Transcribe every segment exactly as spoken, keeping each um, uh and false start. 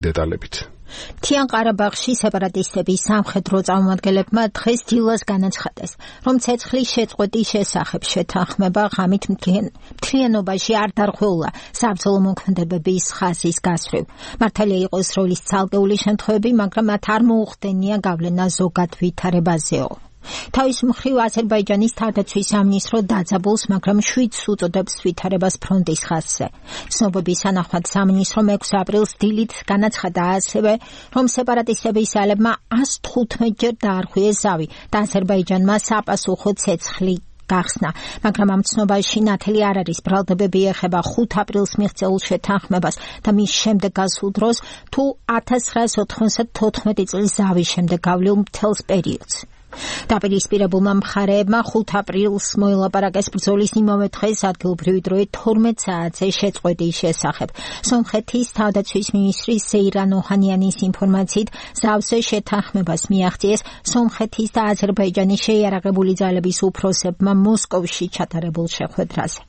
დეტალებით. მთიან ყარაბაღში სეპარატისტების სამხედრო წარმომადგენლებმა დღეს დილას განაცხადეს, რომ ცეცხლის შეწყვეტის შესახებ შეთანხმება ღამით მთლიანობაში არ დარღვეულა საბრძოლო მოქმედებების ხაზის გასვლივ. მართალია იყოს როლის ცალკეული შემთხვევები, მაგრამ მათ არ მოუხდენია გავლენა ზოგად ვითარებაზეო. თავის მხრივ აზერბაიჯანის თავდაცვის სამინისტრო დაძაბულს, მაგრამ შვიდს უწოდებს ვითარებას ფრონტის ხაზზე. ცნობების თანახმად სამინისტრომ ექვსი აპრილს დილით განაცხადა ასევე, რომ სეპარატისტების ძალებმა ას თხუთმეტ ჯერ დაარღვიეს ზავი და აზერბაიჯანმა საპასუხო ცეცხლი გახსნა, მაგრამ ამ ცნობაში ნათელი არ არის. ბრალდებები ეხება ხუთ აპრილს მიღწეულ შეთანხმებას და მის შემდეგ გასულ დროს თუ ათას ცხრაას ოთხმოცდათოთხმეტი წლის ზავის შემდეგ გავლილ მთელს პერიოდს. დაპირისპირებულმა მხარეებმა ხუთ აპრილს მოელაპარაკეს ბრძოლის იმავე დღეს ადგილობრივი დროით თორმეტ საათზე შეწყვეტის შესახებ. სომხეთის თავდაცვის მინისტრის ზეირან ოჰანიანის ინფორმაციით, ზავზე შეთანხმებას მიაღწიეს სომხეთის და აზერბაიჯანის შეიარაღებული ძალების უფროსებმა მოსკოვში ჩატარებულ შეხვედრაზე.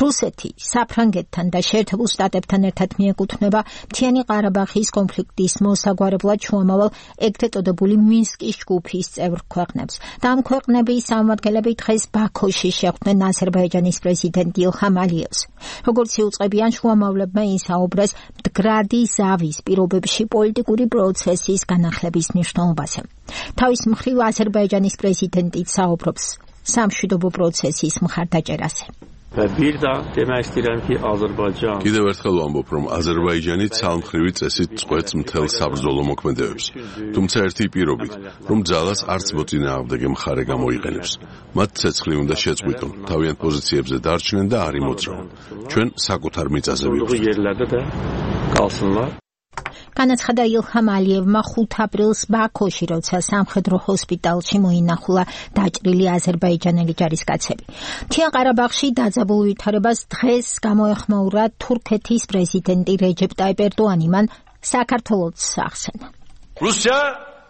რუსეთი საფრანგეთთან და შეერთებულ შტატებთან ერთად მიეკუთვნება მთიანი ყარაბაღის კონფლიქტის მოსაგვარებლად შუამავალ ეგრეთ წოდებული მინსკის ჯგუფის წევრ ქვეყნებს და ამ ქვეყნების წარმომადგენლები დღეს ბაქოში შეხვდნენ აზერბაიჯანის პრეზიდენტ ილჰამ ალიევს. როგორც იუწყებიან, შუამავლებმა ისაუბრეს მდგრადი ზავის პირობებში პოლიტიკური პროცესის განახლების მნიშვნელობაზე. თავის მხრივ აზერბაიჯანის პრეზიდენტი საუბრობს სამშვიდობო პროცესის მხარდაჭერაზე. კიდევ ერთხელ ვამბობ, რომ აზერბაიჯანი ცალმხრივი წესით წყვეტს მთელ საბრძოლო მოქმედებებს. თუმცა ერთი პირობით, რომ ძალას არც მოწინააღმდეგე მხარე გამოიყენებს. მათ ცეცხლი უნდა შეწყვიტონ, თავიანთ პოზიციებზე დარჩნენ და არ იმოძრავონ. ჩვენ საკუთარ მიწაზე ვივსებთ. განაცხადა ილჰამ ალიევმა ხუთ აპრილს ბაქოში, როცა სამხედრო ჰოსპიტალში მოინახულა დაჭრილი აზერბაიჯანელი ჯარისკაცები. მთიან ყარაბაღში დაძაბულ ვითარებას დღეს გამოეხმაურა თურქეთის პრეზიდენტი რეჯეპ ტაიპ ერდოანი, მან საქართველოს ახსენა. Rusya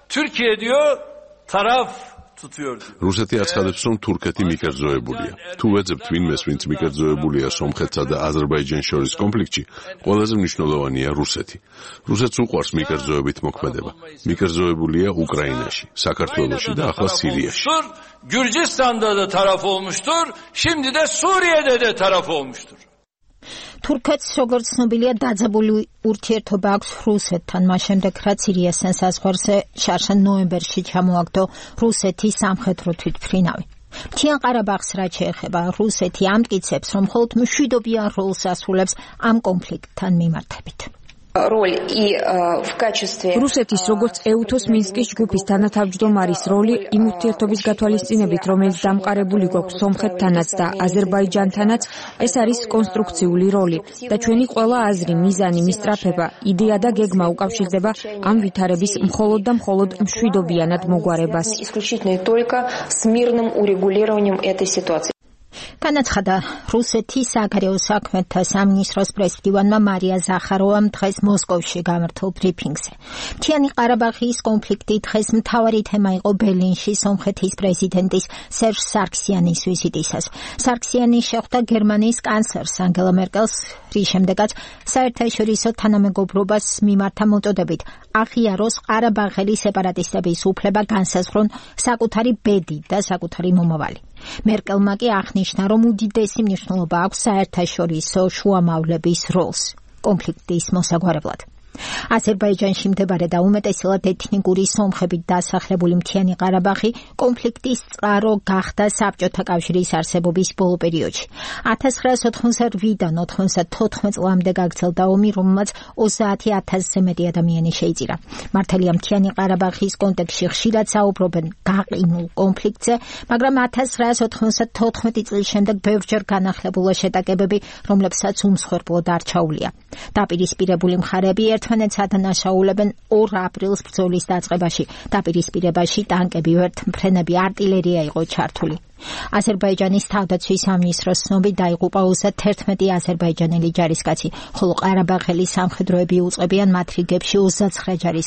Türkiye diyor, taraf რუსეთი აცხადებს, რომ თურქეთი მიკერძოებულია. თუ ვეძებთ ვინმეს, ვინც მიკერძოებულია სომხეთსა და აზერბაიჯანს შორის კონფლიქტში, ყველაზე მნიშვნელოვანია რუსეთი. რუსეთს უყვარს მიკერძოებით მოქმედება. მიკერძოებულია უკრაინაში, საქართველოში და ახლა სირიაში. Gürcistan'da da taraf olmuştur, şimdi de Suriye'de de taraf olmuştur. თურქეთს, როგორც ცნობილია, დაძაბული ურთიერთობა აქვს რუსეთთან, მას შემდეგ რაც სირიასთან საზღვარზე შარშან ნოემბერში ჩამოაგდო რუსეთის სამხედრო თვითმფრინავი. მთიან ყარაბაღს რაც შეეხება, რუსეთი ამტკიცებს, რომ მხოლოდ მშვიდობიან როლს ასრულებს ამ კონფლიქტთან მიმართებით. რუსეთის როგორც ეუთოს მინსკის ჯგუფის თანათავმჯდომარის როლი იმ ურთიერთობის გათვალისწინებით, რომელიც დამყარებული გვაქვს სომხეთთანაც და აზერბაიჯანთანაც, ეს არის კონსტრუქციული როლი და ჩვენი ყველა აზრი, მიზანი, მისწრაფება, იდეა და გეგმა უკავშირდება ამ ვითარების მხოლოდ და მხოლოდ მშვიდობიანად მოგვარებას. განაცხადა რუსეთის საგარეო საქმეთა სამინისტროს პრეზიდენტმა მარია ზახაროვამ დღეს მოსკოვში გამართულ ბრიფინგზე. მთიანი ყარაბაღის კონფლიქტი დღეს მთავარი თემა იყო ბერლინში სომხეთის პრეზიდენტის სერჟ სარქსიანის ვიზიტისას. სარქსიანი შეხვდა გერმანიის კანცლერს ანგელა მერკელს, რის შემდეგაც საერთაშორისო თანამეგობრობას მიმართა მოწოდებით აღიაროს ყარაბაღელი სეპარატისტების უფლება განსაზღვრონ საკუთარი ბედი და საკუთარი მომავალი. მერკელმა კი აღნიშნა, რომ უდიდესი მნიშვნელობა აქვს საერთაშორისო შუამავლების როლს კონფლიქტის მოსაგვარებლად. აზერბაიჯანში მდებარე და უმეტესად ეთნიკური სომხებით დასახლებული მთიანი ყარაბაღი კონფლიქტის წყარო გახდა საბჭოთა კავშირის არსებობის ბოლო პერიოდში. ათას ცხრაას ოთხმოცდაოთხიდან ოთხმოცდათოთხმეტ წლამდე გაგრძელდა ომი, რომელმაც ოცდაათი ათასზე მეტი ადამიანი შეიწირა. მართალია მთიანი ყარაბაღის კონტექსტში ხშირად საუბრობენ გაყინულ კონფლიქტზე, მაგრამ ათას ცხრაას ოთხმოცდათოთხმეტი წლის შემდეგ ბევრჯერ განახლებულა შეტაკებები, რომლებსაც უმსხვერპლოდ არ ჩაუვლია. დაპირისპირებული მხარეები ერთმანეთს ადანაშაულებენ ორ აპრილს ბრძოლის დაწყებაში. დაპირისპირებაში ტანკები, ვერტმფრენები, артиლერია იყო ჩართული. აზერბაიჯანის თავდაცვის სამინისტროს ცნობით დაიღუპა ოცდაათერთმეტი აზერბაიჯანელი ჯარისკაცი, ხოლო ყარაბაღელი სამხედროები უწყებიან მათ რიგებში ოცდაცხრა ჯარისკაცი.